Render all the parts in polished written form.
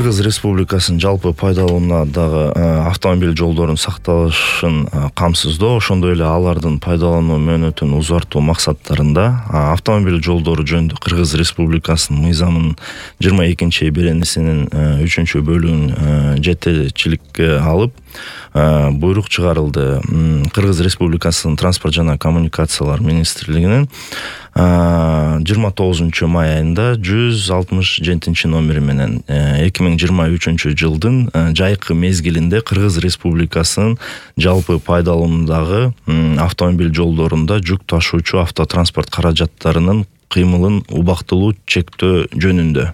Кыргыз Республикасынын жалпы пайдалануудагы автомобиль жолдорунун сакталышын камсыздоо, ошондой эле алардын пайдалануу мөөнөтүн узартуу максаттарында автомобиль жолдору жөнүндө Кыргыз Республикасынын мыйзамынын 22 беренесинин 3-бөлүгүн жетекчиликке алып буйрук чыгарылды. Кыргыз Республикасынын транспорт жана коммуникациялар министрлигинин 29 май айында 167 номери менен 2023 жылдын жайкы мезгилинде Кыргыз Республикасынын жалпы пайдалануудагы автомобиль жолдорунда жүк ташуучу автотранспорт каражаттарынын кыймылын убактылуу чектөө жөнүндө.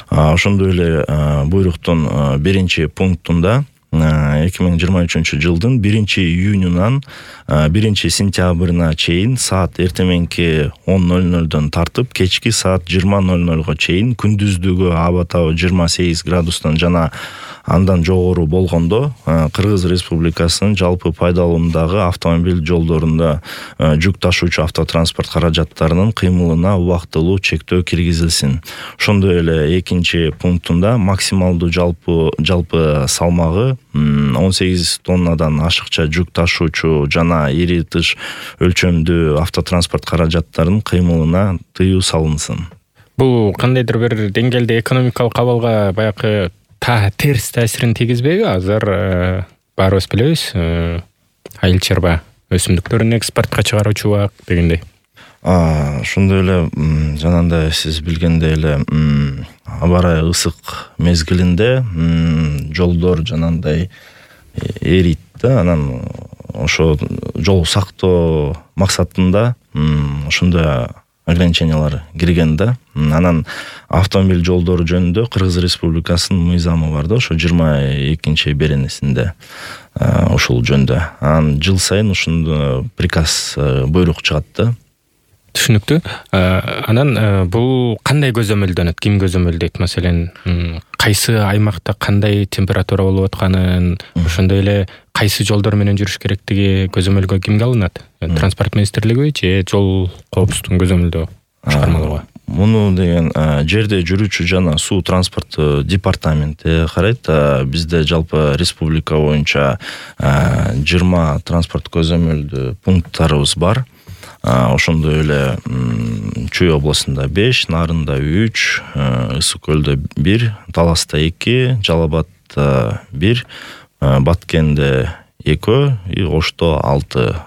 Ошондой эле буйруктун 1-пунктунда 2023 жылдын 1-июнунан 1-сентябрына чейин саат эртеменки 10:00 тартып кечки саат 20:00 чейин күндүздүгү аба табы 28 градустан жана андан жогору болгондо Кыргыз Республикасынын жалпы пайдалануудагы автомобиль жолдорунда жүк ташуучу автотранспорт каражаттарынын кыймылына убактылуу чектөө киргизилсин. Ошондой эле 2-пунктунда максималдуу жалпы салмагы 18 тоннадан ашыкча жүк ташуучу жана ири тыш өлчөмдүү автотранспорт каражаттарынын кыймылына тыюу салынсын. Бул кандайдыр бир деңгээлде экономикалык абалга баягы терс таасирин тийгизбейби? Азыр баарыбыз билебиз, айыл чарба өсүмдүктөрүн экспортко чыгаруучу дегендей. Ошондой эле жанагындай сиз билгендей эле аба ырайы ысык мезгилинде жолдор жанагындай эрийт да, анан ошо жол сактоо максатында ошондой ограничениялар кирген да. Анан автомобиль жолдору жөнүндө Кыргыз Республикасынын мыйзамы бар да, ошо 22 беренесинде ушул жөндө. Анан жыл сайын ушундо приказ буйрук чыгат да. Түшүнүктүү. Анан бул кандай көзөмөлдөнөт? Ким көзөмөлдөйт? Маселен, кайсы аймакта кандай температура болуп атканын, ошондой эле кайсы жолдор менен жүрүш керектиги көзөмөлгө кимге алынат? Транспорт министрлиги же жол коопсуздугун көзөмөлдөө башкармалыгы? Муну деген жерде жүрүүчү жана суу транспорт департаменти карайт. Бизде жалпы республика боюнча 20 транспорт көзөмөлдүү пункттарыбыз бар. Ошондой эле Чүй областында 5, Нарында 3, Ысык көлдө 1, Таласта 2, Жалал-Абадта 1, Баткенде 2 и Ошто 6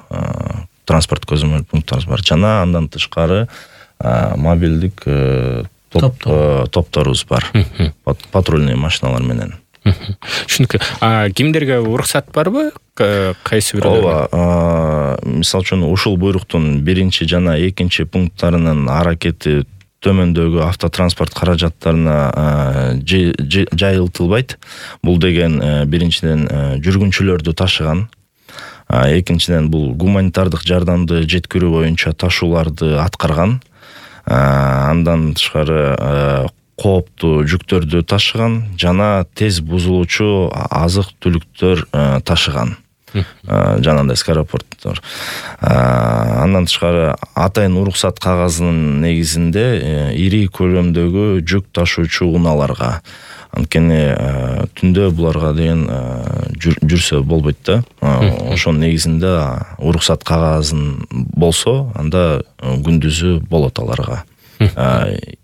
транспорт көзөмөл пункттарыбыз бар. Жана андан тышкары мобилдик топторубуз бар. Патрульный машиналар менен. Түшүнүктүү. Кимдерге уруксат барбы? Кайсы бир? Ооба, мисалы үчүн ушул буйруктун 1 жана 2 пункттарынын аракети төмөндөгү автотранспорт каражаттарына жайылтылбайт. Бул деген биринчиден жүргүнчүлөрдү ташыган, экинчиден бул гуманитардык жардамды жеткирүү боюнча ташууларды аткарган, андан тышкары кооптуу жүктөрдү ташыган жана тез бузулуучу азык түлүктөр ташыган. Жанагындай скоропорттор. Андан тышкары атайын уруксат кагазынын негизинде ири көлөмдөгү жүк ташуучу унааларга. Анткени түндө буларга деген жүрсө болбойт да. Ошонун негизинде уруксат кагазын болсо, анда күндүзү болот аларга.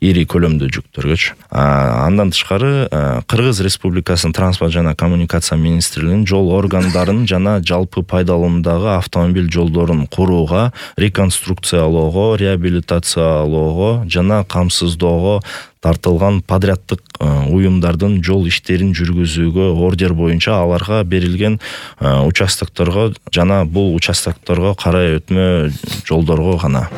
Ири көлөмдүү жүктөргөчү. Андан тышкары Кыргыз Республикасынын транспорт жана коммуникация министрлигинин жол органдарын жана жалпы пайдалануудагы автомобиль жолдорун курууга, реконструкциялоого, реабилитациялоого жана камсыздоого тартылган подряддык уюмдардын жол иштерин жүргүзүүгө ордер боюнча аларга берилген участокторго жана бул участокторго карай өтмө жолдорго гана.